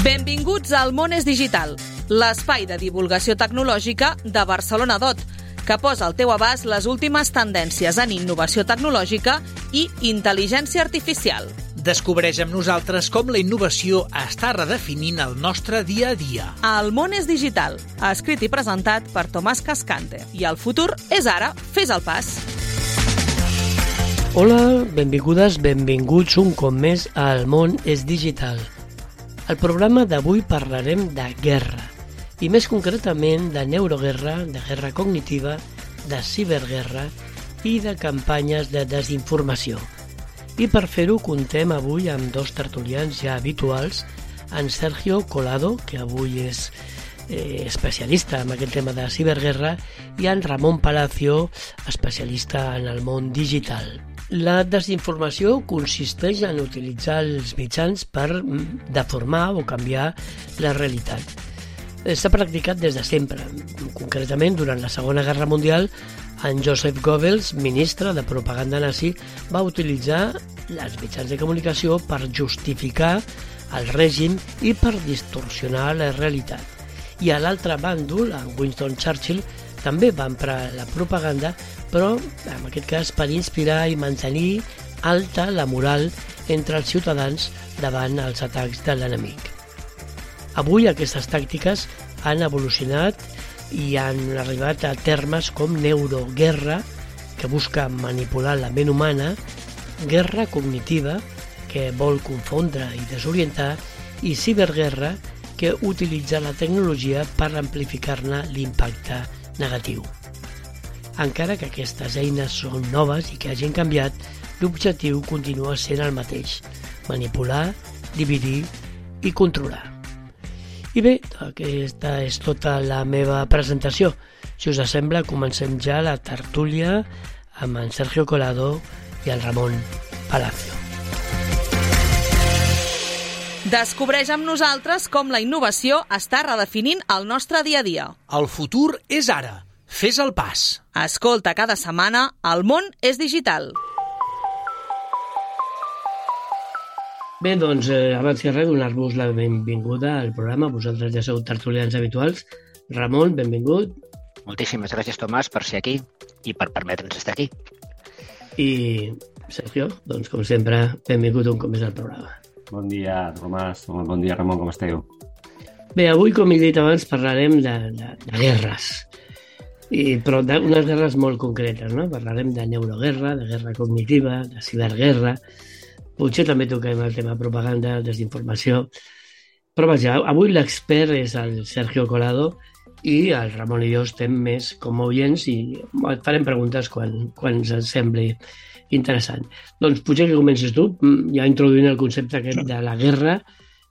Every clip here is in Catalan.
Benvinguts al Món és Digital, l'espai de divulgació tecnològica de Barcelona DOT, que posa al teu abast les últimes tendències en innovació tecnològica i intel·ligència artificial. Descobreix amb nosaltres com la innovació està redefinint el nostre dia a dia. El Món és Digital, escrit i presentat per Tomàs Cascante. I el futur és ara, fes el pas. Hola, benvingudes, benvinguts un cop més al Món és Digital. Al programa d'avui parlarem de guerra, i més concretament de neuroguerra, de guerra cognitiva, de ciberguerra i de campanyes de desinformació. I per fer-ho contem avui amb dos tertulians ja habituals, en Sergio Colado, que avui és especialista en aquest tema de ciberguerra, i en Ramon Palacio, especialista en el món digital. La desinformació consisteix en utilitzar els mitjans per deformar o canviar la realitat. S'ha practicat des de sempre. Concretament, durant la Segona Guerra Mundial, en Joseph Goebbels, ministre de propaganda nazi, va utilitzar els mitjans de comunicació per justificar el règim i per distorsionar la realitat. I a l'altre bàndol, en Winston Churchill, també va emprar la propaganda, però en aquest cas per inspirar i mantenir alta la moral entre els ciutadans davant els atacs de l'enemic. Avui aquestes tàctiques han evolucionat i han arribat a termes com neuroguerra, que busca manipular la ment humana, guerra cognitiva, que vol confondre i desorientar, i ciberguerra, que utilitza la tecnologia per amplificar-ne l'impacte negatiu. Encara que aquestes eines són noves i que hagin canviat, l'objectiu continua sent el mateix: manipular, dividir i controlar. I bé, aquesta és tota la meva presentació. Si us sembla, comencem ja la tertúlia amb en Sergio Colado i el Ramon Palacio. Descobreix amb nosaltres com la innovació està redefinint el nostre dia a dia. El futur és ara. Fes el pas. Escolta cada setmana El Món és Digital. Bé, doncs, abans que res, donar-vos la benvinguda al programa. Vosaltres ja sou tertulians habituals. Ramon, benvingut. Moltíssimes gràcies, Tomàs, per ser aquí i per permetre'ns estar aquí. I Sergio, doncs, com sempre, benvingut un cop més al programa. Bon dia, Tomàs. Bon dia, Ramon, com esteu? Bé, avui, com he dit abans, parlarem de guerres. Però d'unes guerres molt concretes, no? Parlarem de neuroguerra, de guerra cognitiva, de ciberguerra. Potser també toquem el tema propaganda, desinformació. Però vaja, avui l'expert és el Sergio Colado i el Ramon i jo estem més com a oients i et farem preguntes quan ens sembli interessant. Doncs potser que comences tu, ja introduint el concepte aquest de la guerra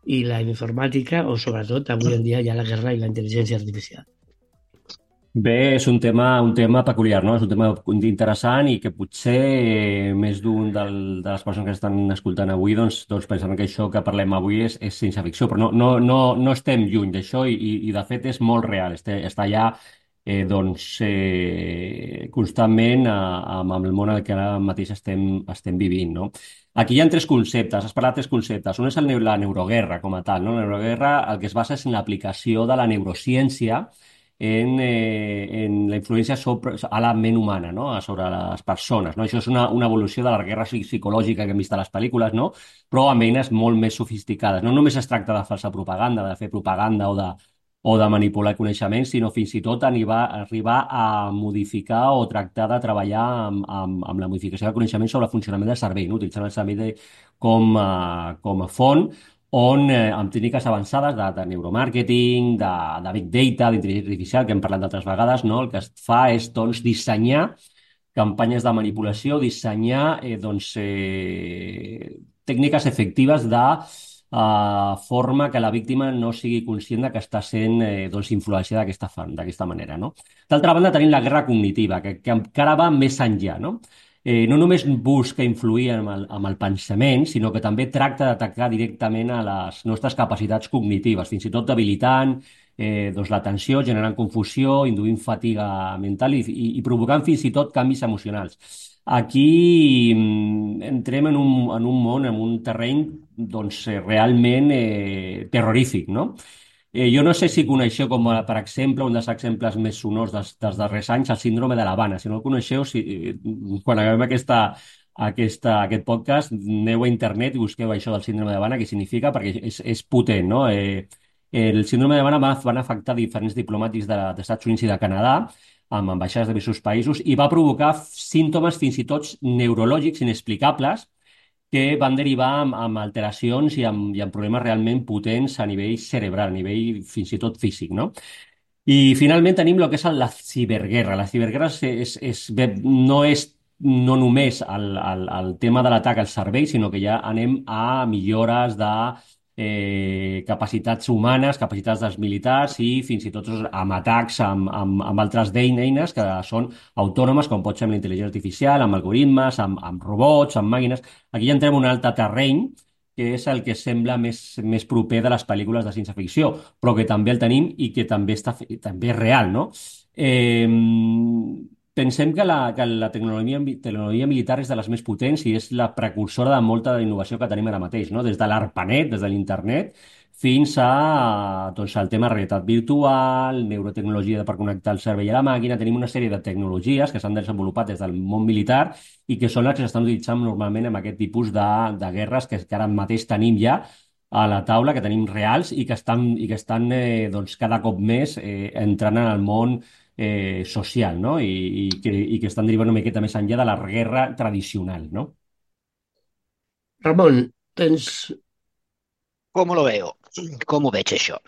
i la informàtica, o sobretot avui en dia ja la guerra i la intel·ligència artificial. Bé, és un tema peculiar, no? És un tema interessant i que potser més d'un de les persones que estan escoltant avui doncs pensaran que això que parlem avui és ciència ficció, però no estem lluny d'això i de fet és molt real, està allà constantment amb el món en què ara mateix estem vivint, no? Aquí hi ha tres conceptes, has parlat de tres conceptes. Un és la neuroguerra com a tal, no? La neuroguerra el que es basa és en l'aplicació de la neurociència en la influència a la ment humana, no? Sobre les persones, no? Això és una evolució de la guerra psicològica que hem vist a les pel·lícules, no? Però amb eines molt més sofisticades. No només es tracta de falsa propaganda, de fer propaganda o de manipular coneixements, sinó fins i tot arribar a modificar o tractar de treballar amb la modificació del coneixement sobre el funcionament del cervell, no? Utilitzant el cervell com a font on amb tècniques avançades de neuromàrqueting, de big data, d'intel·ligència artificial, que hem parlat d'altres vegades, no? El que es fa és dissenyar campanyes de manipulació, dissenyar tècniques efectives de forma que la víctima no sigui conscient que està sent influenciada d'aquesta manera, no? D'altra banda, tenim la guerra cognitiva, que encara va més enllà, no? No només busca influir amb el pensament, sinó que també tracta d'atacar directament a les nostres capacitats cognitives, fins i tot debilitant l'atenció, generant confusió, induint fatiga mental i provocant fins i tot canvis emocionals. Aquí entrem en un món, en un terreny realment terrorífic, no? Jo no sé si coneixeu, com per exemple, un dels exemples més sonors dels darrers anys, el síndrome de l'Havana. Si no el coneixeu, quan acabem aquest podcast, aneu a internet i busqueu això del síndrome d'Havana, què significa, perquè és potent, no? El síndrome d'Havana van afectar diferents diplomàtics dels Estats Units i de Canadà, amb ambaixades de diversos països, i va provocar símptomes fins i tot neurològics inexplicables, que van derivar amb alteracions i amb problemes realment potents a nivell cerebral, a nivell fins i tot físic, no? I finalment tenim el que és la ciberguerra. La ciberguerra no és no només el tema de l'atac als serveis, sinó que ja anem a millores de capacitats humanes, capacitats dels militars i fins i tot amb atacs amb altres eines que són autònomes, com pot ser amb la intel·ligència artificial, amb algoritmes, amb robots, amb màquines. Aquí ja entrem en un altre terreny, que és el que sembla més proper de les pel·lícules de ciència-ficció, però que també el tenim i que també és real, no? Pensem que la tecnologia militar és de les més potents i és la precursora de molta de la innovació que tenim ara mateix, no? Des de l'ARPANET, des de l'internet, fins al tema de realitat virtual, neurotecnologia per connectar el cervell a la màquina. Tenim una sèrie de tecnologies que s'han desenvolupat des del món militar i que són les que s'estan utilitzant normalment en aquest tipus de guerres que ara mateix tenim ja a la taula, que tenim reals i que estan cada cop més entrant en el món social, no? I que estan derivant una miqueta més enllà de la guerra tradicional, no? Ramon, tens... Com lo veo? Com ho veig, això?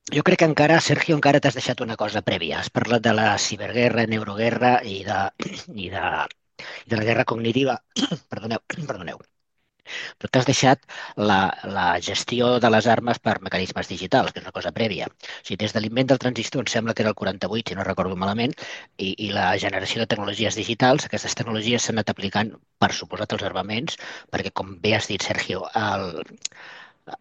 Jo crec que Sergio, encara t'has deixat una cosa prèvia. Has parlat de la ciberguerra, neuroguerra i de la guerra cognitiva. Perdoneu. Però t'has deixat la gestió de les armes per mecanismes digitals, que és una cosa prèvia. O sigui, des de l'invent del transistor, em sembla que era el 48, si no recordo malament, i la generació de tecnologies digitals, aquestes tecnologies s'han anat aplicant, per suposat, als armaments, perquè, com bé has dit, Sergio,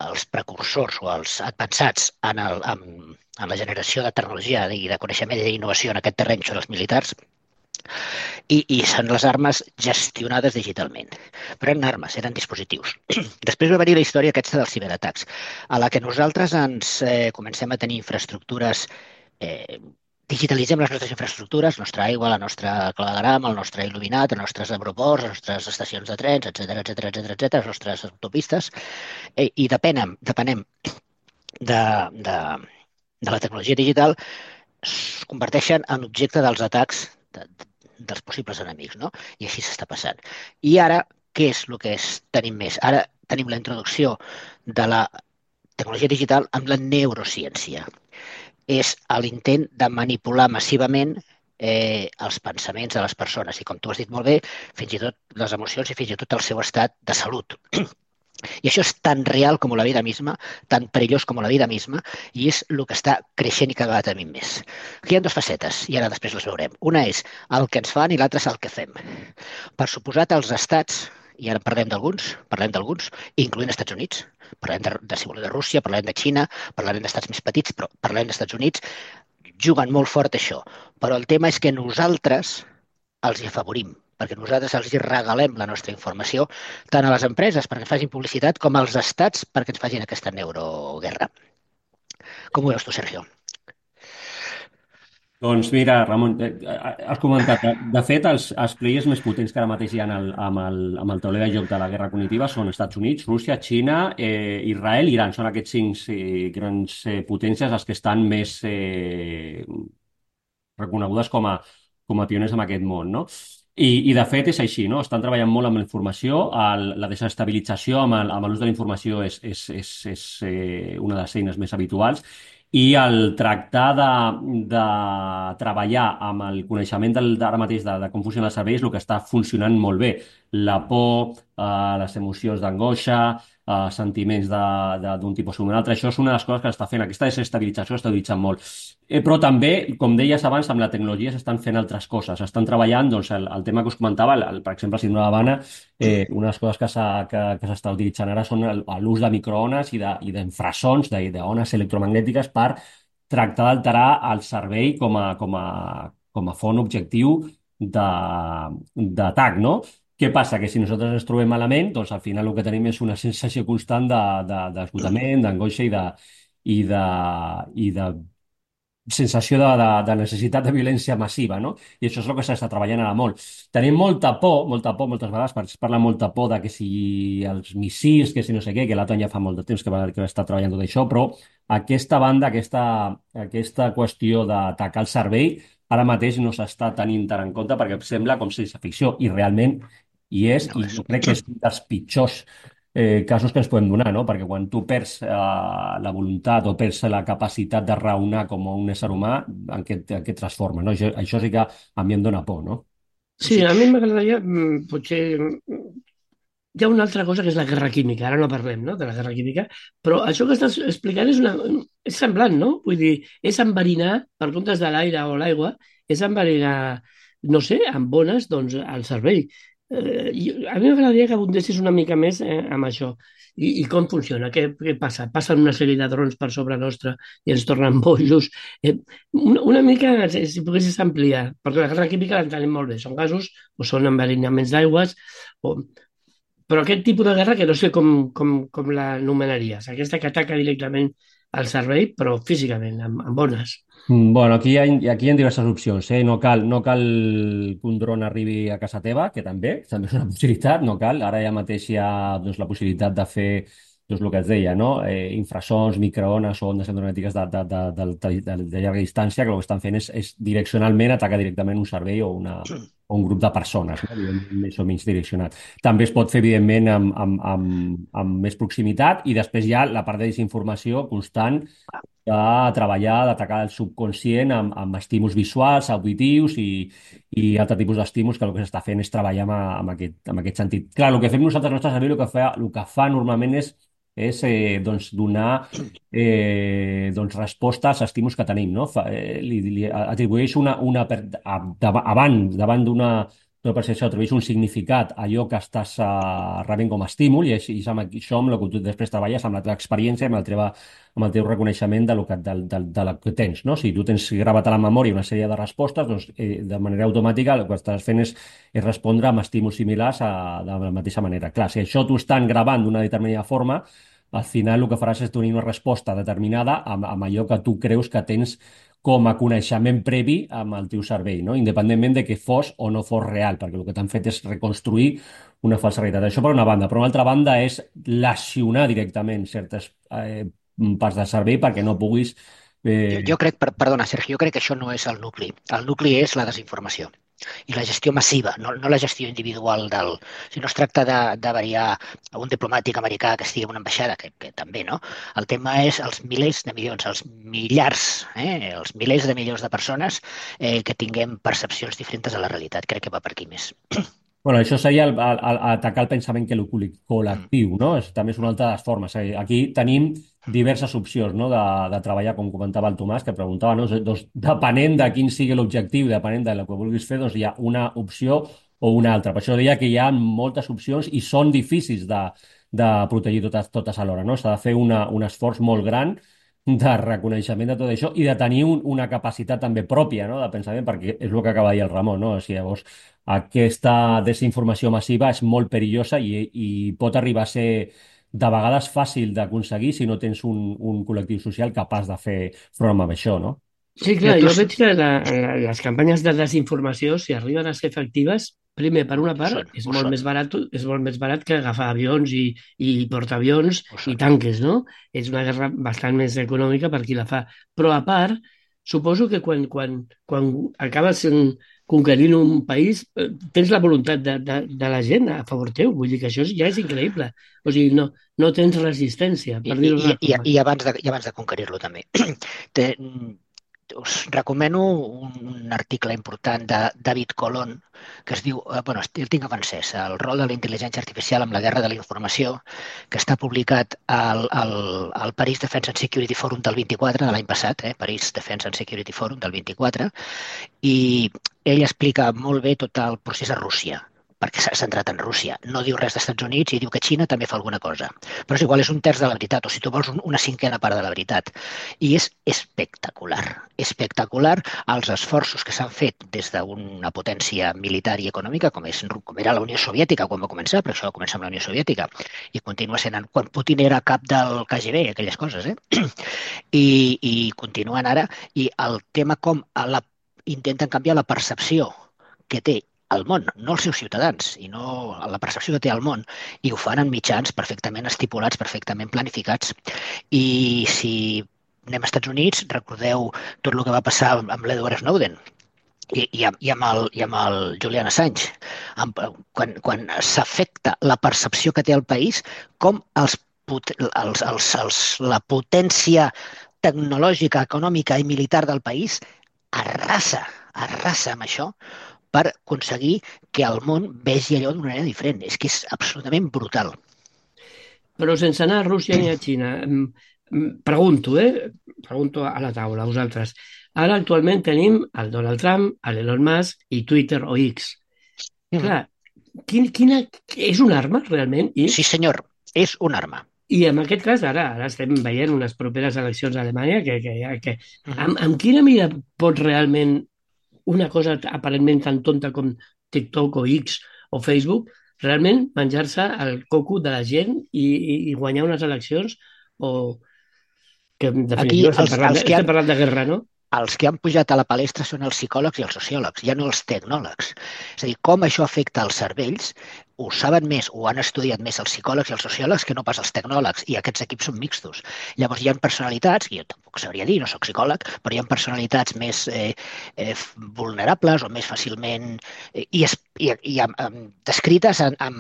els precursors o els advançats en la generació de tecnologia i de coneixement i d'innovació en aquest terreny són els militars, i són les armes gestionades digitalment. Però eren armes, eren dispositius. Després va venir la història aquesta dels ciberatacs, a la que nosaltres ens comencem a tenir infraestructures, digitalitzem les nostres infraestructures, la nostra aigua, la nostra clavegueram, el nostre il·luminat, els nostres aeroports, les nostres estacions de trens, etc, les nostres autopistes, i depenem de la tecnologia digital, es converteixen en objecte dels atacs dels possibles enemics, no? I així s'està passant. I ara, què és el que tenim més? Ara tenim la introducció de la tecnologia digital amb la neurociència. És l'intent de manipular massivament els pensaments de les persones i, com tu has dit molt bé, fins i tot les emocions i fins i tot el seu estat de salut. I això és tan real com la vida misma, tan perillós com la vida misma, i és el que està creixent i cada vegada tenim més. Aquí hi ha dues facetes, i ara després les veurem. Una és el que ens fan i l'altra és el que fem. Per suposat, els estats, i ara parlem d'alguns, incloent els Estats Units, parlem de Rússia, parlem de Xina, parlem d'estats més petits, però parlem dels Estats Units, juguen molt fort això. Però el tema és que nosaltres els hi afavorim, perquè nosaltres els regalem la nostra informació tant a les empreses perquè ens facin publicitat com als estats perquè ens facin aquesta neuroguerra. Com ho veus tu, Sergio? Doncs mira, Ramon, has comentat, de fet, els players més potents que ara mateix hi ha amb el tauler de joc de la guerra cognitiva són Estats Units, Rússia, Xina, Israel i Iran. Són aquests 5 grans potències els que estan més reconegudes com a pioners en aquest món, no? I de fet és així, no? Estan treballant molt amb la informació, la desestabilització amb l'ús de la informació és una de les eines més habituals, i el tractar de treballar amb el coneixement d'ara mateix de com funcionen els serveis, el que està funcionant molt bé. La por, les emocions d'angoixa, sentiments d'un tipus o un altre. Això és una de les coses que està fent. Aquesta desestabilització està utilitzant molt. Però també, com deies abans, amb la tecnologia s'estan fent altres coses. Estan treballant, doncs, el tema que us comentava, per exemple, el síndrome d'Havana, una de les coses que s'està utilitzant ara són l'ús de microones i d'infrasons, d'ones electromagnètiques per tractar d'alterar el cervell com a font objectiu d'atac, no? Què passa? Que si nosaltres ens trobem malament, doncs al final el que tenim és una sensació constant d'esgotament, d'angoixa i de sensació de necessitat de violència massiva, no? I això és el que s'està treballant ara molt. Tenim molta por, moltes vegades es parla molta por de que si els missils, que si no sé què, que l'Aton ja fa molt de temps que està treballant tot això, però aquesta banda, aquesta qüestió d'atacar el cervell, ara mateix no s'està tenint tant en compte perquè sembla com ciència ficció i realment hi és, No i és. jo crec que és un dels pitjors casos que ens podem donar, no? Perquè quan tu perds la voluntat o perds la capacitat de raonar com un ésser humà, en què et transforma, no? Això sí que a mi em dona por, no? Sí, Sí, sí. a mi m'agradaria, potser... Hi ha una altra cosa que és la guerra química, ara no parlem, no?, de la guerra química, però això que estàs explicant és semblant, no? Vull dir, és enverinar, per comptes de l'aire o l'aigua, és enverinar, no sé, amb bones, doncs, al cervell. A mi m'agradaria que abundessis una mica més amb això. I com funciona? Què passa? Passen una sèrie de drons per sobre nostre i ens tornen bojos. Una mica, si poguessis ampliar, perquè la guerra química l'entenem molt bé. Són gasos o són enverinaments d'aigües, o, però aquest tipus de guerra que no sé com l'anomenaries. Aquesta que ataca directament al cervell, però físicament, amb bones. Bueno, aquí hi ha diverses opcions, eh? No cal que un dron arribi a casa teva, que també és una possibilitat, no cal. Ara ja mateix hi ha doncs, la possibilitat de fer doncs, el que es deia, no? Infrasons, microones o ondes electromagnètiques de llarga distància, que el que estan fent és direccionalment atacar directament un cervell o un grup de persones, no? Evidentment, més o menys direccionat. També es pot fer, evidentment, amb més proximitat i després hi ha la part de desinformació constant de treballar, d'atacar el subconscient amb estímuls visuals, auditius i altre tipus d'estímuls que el que s'està fent és treballar amb aquest sentit. Clar, el que fem nosaltres al nostre cervell, el que fa normalment és doncs, donar doncs, resposta als estímuls que tenim, no? Li atribueix davant d'una percepció, atribueix un significat a allò que estàs rebent com a estímul i és amb això amb el que tu després treballes, amb la teva experiència, amb el teu reconeixement de la que tens, no? Si tu tens gravat a la memòria una sèrie de respostes, doncs, de manera automàtica el que estàs fent és respondre amb estímuls similars de la mateixa manera. Clar, si això t'ho estan gravant d'una determinada forma, al final el que faràs és tenir una resposta determinada amb allò que tu creus que tens com a coneixement previ amb el teu cervell, no? Independentment de que fos o no fos real, perquè el que t'han fet és reconstruir una falsa realitat. Això per una banda. Per una altra banda és lesionar directament certes parts del cervell perquè no puguis... Jo crec, perdona, Sergi, jo crec que això no és el nucli. El nucli és la desinformació i la gestió massiva, no la gestió individual del... Si no es tracta de variar a un diplomàtic americà que estigui en una ambaixada, que també, no? El tema és els milers de milions, els millars, els milers de milions de persones que tinguem percepcions diferents a la realitat. Crec que va per aquí més. Bueno, això seria atacar el pensament col·lectiu, no? També és una altra de les formes. Aquí tenim diverses opcions, no? de treballar, com comentava el Tomàs, que preguntava, no? Doncs, depenent de quin sigui l'objectiu, depenent del que vulguis fer, doncs hi ha una opció o una altra. Per això deia que hi ha moltes opcions i són difícils de protegir totes alhora, no? S'ha de fer un esforç molt gran de reconeixement de tot això i de tenir una capacitat també pròpia, no? De pensament, perquè és el que acaba de dir el Ramon, no? O sigui, llavors, aquesta desinformació massiva és molt perillosa i pot arribar a ser de vegades fàcil d'aconseguir si no tens un col·lectiu social capaç de fer front amb això, no? Sí, clar, jo veig que les campanyes de desinformació, si arriben a ser efectives, primer, per una part, és molt més barat que agafar avions i portaavions i tanques, no? És una guerra bastant més econòmica per qui la fa. Però, a part, suposo que quan acabes conquerint un país, tens la voluntat de la gent a favor teu. Vull dir que això ja és increïble. O sigui, no tens resistència, per dir-ho d'una forma. I abans de conquerir-lo, també. Us recomano un article important de David Colon que es diu, bueno, el tinc en francès, el rol de la intel·ligència artificial amb la guerra de la informació, que està publicat al Paris Defense and Security Forum del 24, de l'any passat, Paris Defense and Security Forum del 24, i ell explica molt bé tot el procés a Rússia, perquè s'ha centrat en Rússia. No diu res dels Estats Units i diu que Xina també fa alguna cosa. Però és igual, és un terç de la veritat, o si tu vols una cinquena part de la veritat. I és espectacular els esforços que s'han fet des d'una potència militar i econòmica com era la Unió Soviètica quan va començar, però això va començar amb la Unió Soviètica i continua sent quan Putin era cap del KGB, aquelles coses, I continuen ara, i el tema com intenten canviar la percepció que té el món, no els seus ciutadans, i no la percepció que té el món, i ho fan en mitjans perfectament estipulats, perfectament planificats. I si anem als Estats Units, recordeu tot el que va passar amb l'Edward Snowden i amb el Julian Assange, quan s'afecta la percepció que té el país, com la potència tecnològica, econòmica i militar del país arrasa amb això per aconseguir que el món vegi allò d'una manera diferent. És que és absolutament brutal. Però sense anar a Rússia ni a Xina, pregunto, pregunto a la taula, a vosaltres. Ara actualment tenim el Donald Trump, l'Elon Musk i Twitter o X. Clar, quina és una arma realment? Sí, senyor, és una arma. I en aquest cas, ara estem veient unes properes eleccions a Alemanya amb quina mida pot realment una cosa aparentment tan tonta com TikTok o X o Facebook realment menjar-se el coco de la gent i guanyar unes eleccions o que en definitiva estem parlant de guerra, no? Els que han pujat a la palestra són els psicòlegs i els sociòlegs, ja no els tecnòlegs. És a dir, com això afecta els cervells, ho saben més, ho han estudiat més els psicòlegs i els sociòlegs que no pas els tecnòlegs, i aquests equips són mixtos. Llavors hi ha personalitats, que jo tampoc sabria dir, no soc psicòleg, però hi ha personalitats més vulnerables o més fàcilment descrites amb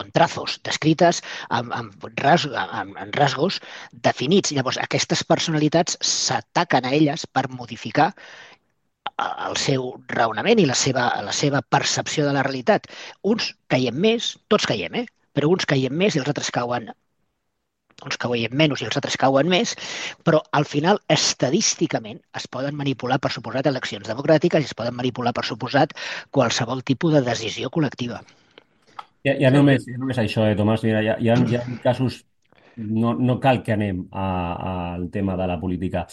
contrazos, descrites amb rasgos definits. Llavors aquestes personalitats s'ataquen a elles per modificar el seu raonament i la seva percepció de la realitat. Uns caiem més, tots caiem, però uns caiem més i els altres cauen, uns cauen menys i els altres cauen més, però al final, estadísticament, es poden manipular, per suposat, eleccions democràtiques i es poden manipular, per suposat, qualsevol tipus de decisió col·lectiva. Ja només això, Tomàs. Mira, hi ha casos, no cal que anem al tema de la política.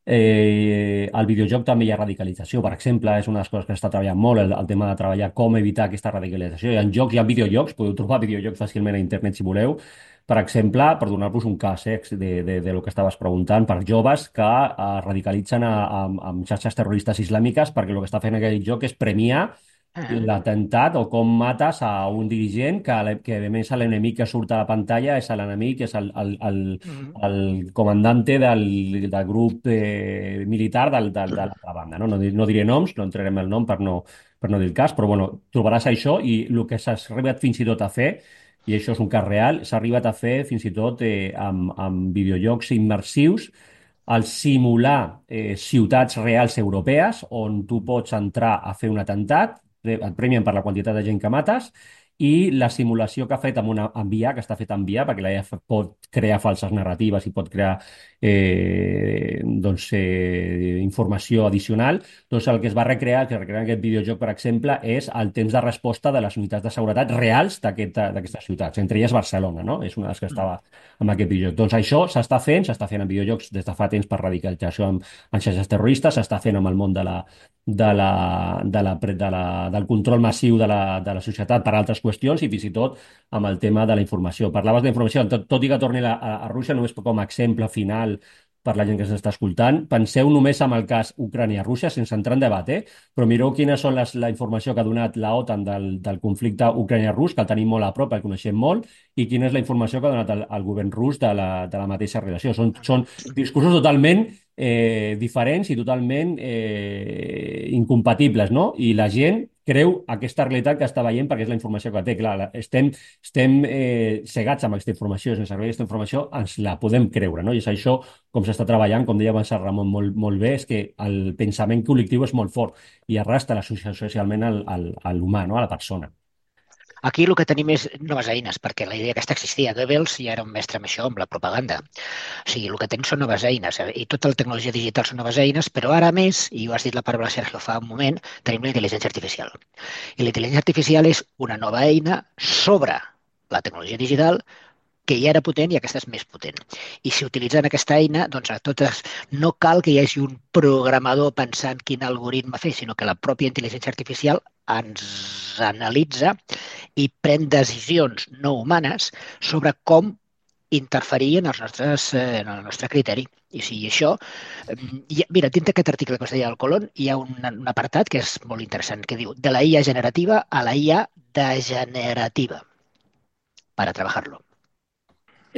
Al videojoc també hi ha radicalització, per exemple, és una de les coses que està treballant molt, el tema de treballar com evitar aquesta radicalització. Hi ha videojocs, podeu trobar videojocs fàcilment a internet si voleu, per exemple, per donar-vos un cas de lo que estaves preguntant, per joves que es radicalitzen amb xarxes terroristes islàmiques perquè el que està fent aquell joc és premiar l'atemptat o com mates a un dirigent que a més l'enemic que surt a la pantalla és l'enemic, és el comandante del grup militar de l'altra banda. No diré noms, no entrarem el nom per no dir el cas, però bueno, trobaràs això i el que s'ha arribat fins i tot a fer, i això és un cas real, s'ha arribat a fer fins i tot amb videojocs immersius, al simular ciutats reals europees on tu pots entrar a fer un atemptat, et premien per la quantitat de gent que mates, i la simulació que ha fet amb amb IA, que està fet amb IA, perquè la IA pot crear falses narratives i pot crear informació addicional, doncs el que es va recrear, que recrear aquest videojoc, per exemple, és el temps de resposta de les unitats de seguretat reals d'aquestes ciutats, entre elles Barcelona, no? És una de les que estava amb aquest videojoc. Doncs això s'està fent en videojocs des de fa temps per radicalització en xarxes terroristes, s'està fent amb el món del control massiu de la societat per altres qüestions i fins i tot amb el tema de la informació. Parlaves d'informació, tot i que torni a Rússia, només com a exemple final per la gent que s'està escoltant, penseu només en el cas Ucrània-Rússia, sense entrar en debat, però mireu quines són la informació que ha donat la OTAN del conflicte ucrània-rus, que el tenim molt a prop, el coneixem molt, i quina és la informació que ha donat el govern rus de la mateixa relació. Són discursos totalment diferents i totalment incompatibles, no? I la gent creu aquesta realitat que està veient perquè és la informació que té. Clar, estem cegats amb aquesta informació, sense saber aquesta informació ens la podem creure, no? I és això com s'està treballant, com deia abans el Ramon molt bé, és que el pensament col·lectiu és molt fort i arrastra socialment a l'humà, no? A la persona. Aquí el que tenim és noves eines, perquè la idea aquesta existia. Goebbels ja era un mestre amb això, amb la propaganda. O sigui, el que tenim són noves eines, i tota la tecnologia digital són noves eines, però ara més, i ho has dit la paraula, Sergio, fa un moment, tenim la intel·ligència artificial. I la intel·ligència artificial és una nova eina sobre la tecnologia digital que ja era potent i aquesta és més potent. I si utilitzen aquesta eina, doncs a totes no cal que hi hagi un programador pensant quin algoritme fer, sinó que la pròpia intel·ligència artificial ens analitza i pren decisions no humanes sobre com interferir en el nostre criteri. I sigui, això... Mira, dins d'aquest article que us deia del Colón hi ha un apartat que és molt interessant, que diu de la IA generativa a la IA degenerativa para trabajarlo.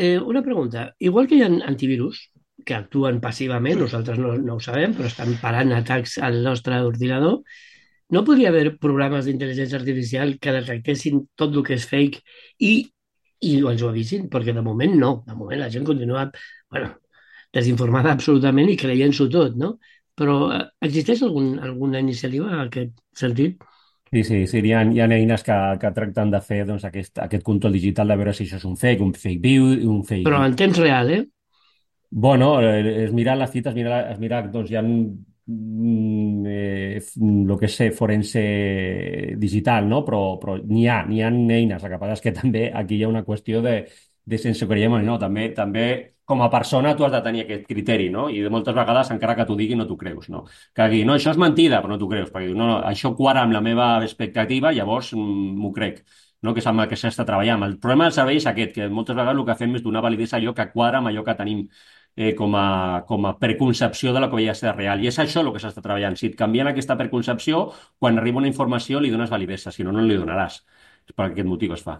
Una pregunta. Igual que hi ha antivirus que actuen passivament, nosaltres no ho sabem, però estan parant atacs al nostre ordinador, no podria haver programes d'intel·ligència artificial que detectessin tot el que és fake i ens ho avisin? Perquè de moment no. De moment la gent continua desinformada absolutament i creient-s'ho tot, no? Però existeix alguna iniciativa en aquest sentit? Sí, hi ha eines que tracten de fer doncs, aquest control digital de veure si això és un fake viu, un fake... Però en temps real, eh? Bueno, es mirar les cites, es mirar, doncs hi ha el que sé, forense digital, no? Però n'hi ha eines. El que passa és que també aquí hi ha una qüestió de sense creiem o no. També com a persona tu has de tenir aquest criteri, no? I de moltes vegades, encara que t'ho digui, no t'ho creus, no? Que digui, no, això és mentida, però no t'ho creus, perquè no, això quadra amb la meva expectativa, llavors m'ho crec, no? Que és amb el que s'està treballant. El problema del servei és aquest, que moltes vegades el que fem és donar validesa a allò que quadra amb allò que tenim com a preconcepció de la que havia de ser real. I és això el que s'està treballant. Si et canvien aquesta preconcepció, quan arriba una informació li dones validesa, si no, no li donaràs. És per aquest motiu es fa.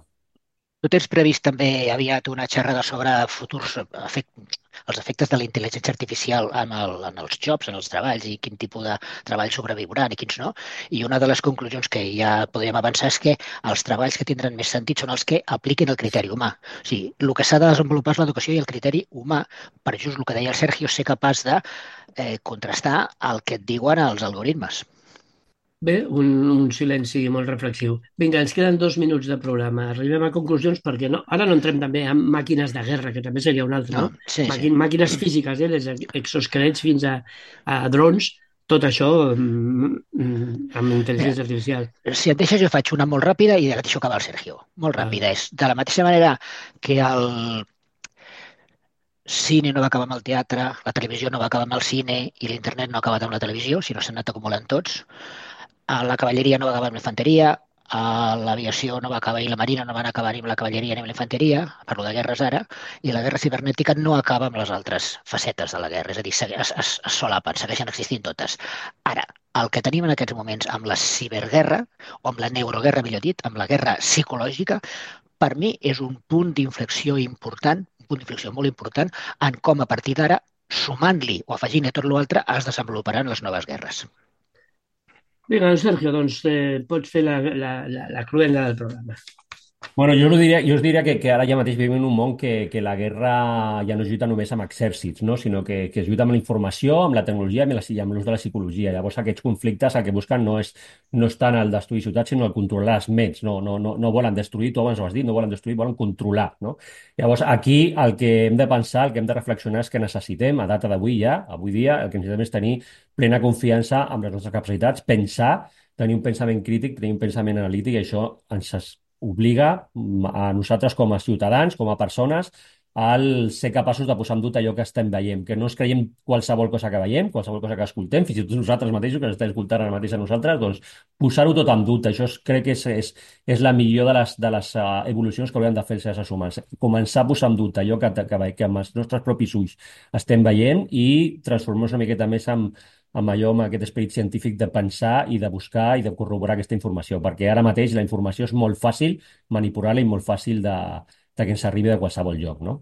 Tu tens previst també aviat una xerrada sobre futurs els efectes de la intel·ligència artificial en els jobs, en els treballs, i quin tipus de treball sobreviuran i quins no. I una de les conclusions que ja podríem avançar és que els treballs que tindran més sentit són els que apliquin el criteri humà. O sigui, el que s'ha de desenvolupar és l'educació i el criteri humà, per just el que deia el Sergio, ser capaç de contrastar el que et diuen els algoritmes. Bé, un silenci molt reflexiu. Vinga, ens queden 2 minuts de programa. Arribem a conclusions perquè ara no entrem també en màquines de guerra, que també seria un altre, no? Sí. Màquines físiques, des d'exosquelets fins a drons, tot això amb intel·ligència artificial. Si et deixes, jo faig una molt ràpida i deixo acabar el Sergio. Molt ràpida. És de la mateixa manera que el cine no va acabar amb el teatre, la televisió no va acabar amb el cine i l'internet no ha acabat amb la televisió, sinó s'han anat acumulant tots. La cavalleria no va acabar amb la infanteria, l'aviació no va acabar i la marina no van acabar ni amb la cavalleria ni amb la infanteria, parlo de guerres ara, i la guerra cibernètica no acaba amb les altres facetes de la guerra, és a dir, es solapen, segueixen existint totes. Ara, el que tenim en aquests moments amb la ciberguerra, o amb la neuroguerra, millor dit, amb la guerra psicològica, per mi és un punt d'inflexió important, un punt d'inflexió molt important, en com a partir d'ara, sumant-li o afegint a tot l'altre, es desenvoluparan les noves guerres. Vinga, Sergio, doncs pots fer la cruenda del programa. Bueno, jo us diria que ara ja mateix vivim en un món que la guerra ja no es lluita només amb exèrcits, no? Sinó que es lluita amb la informació, amb la tecnologia i amb l'ús de la psicologia. Llavors aquests conflictes el que busquen no és tant el destruir ciutats, sinó el controlar les ments. No volen destruir, tu abans ho has dit, no volen destruir, volen controlar, no? Llavors aquí el que hem de pensar, el que hem de reflexionar és que necessitem, a data d'avui ja, avui dia, el que necessitem és tenir plena confiança en les nostres capacitats, pensar, tenir un pensament crític, tenir un pensament analític, i això ens obliga a nosaltres com a ciutadans, com a persones, al ser capaços de posar en dubte allò que estem veient, que no ens creiem qualsevol cosa que veiem, qualsevol cosa que escoltem, fins i tot nosaltres mateixos, que ens estem escoltant ara mateix a nosaltres, doncs posar-ho tot en dubte. Això crec que és la millor de les evolucions que hauríem de fer els éssers humans. Començar a posar en dubte allò que amb els nostres propis ulls estem veient i transformar-nos una miqueta més amb aquest esperit científic de pensar i de buscar i de corroborar aquesta informació, perquè ara mateix la informació és molt fàcil manipular-la i molt fàcil de que ens arribi de qualsevol lloc, no?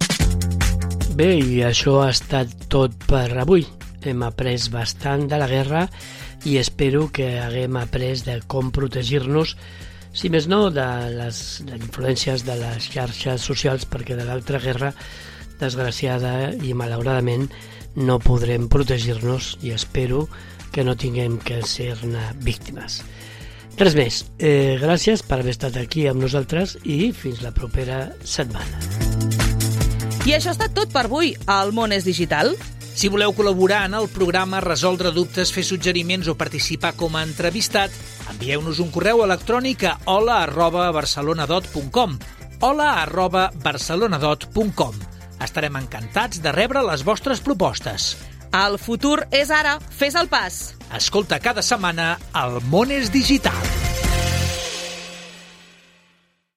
Bé, i això ha estat tot per avui. Hem après bastant de la guerra i espero que haguem après de com protegir-nos, si més no, de les influències de les xarxes socials, perquè de l'altra guerra, desgraciada i malauradament, no podrem protegir-nos i espero que no tinguem que ser-ne víctimes. Res més. Gràcies per haver estat aquí amb nosaltres i fins la propera setmana. I això ha estat tot per avui al Món és Digital. Si voleu col·laborar en el programa, resoldre dubtes, fer suggeriments o participar com a entrevistat, envieu-nos un correu electrònic a hola@barcelonadot.com hola@barcelonadot.com. Estarem encantats de rebre les vostres propostes. El futur és ara. Fes el pas. Escolta cada setmana El Món és Digital.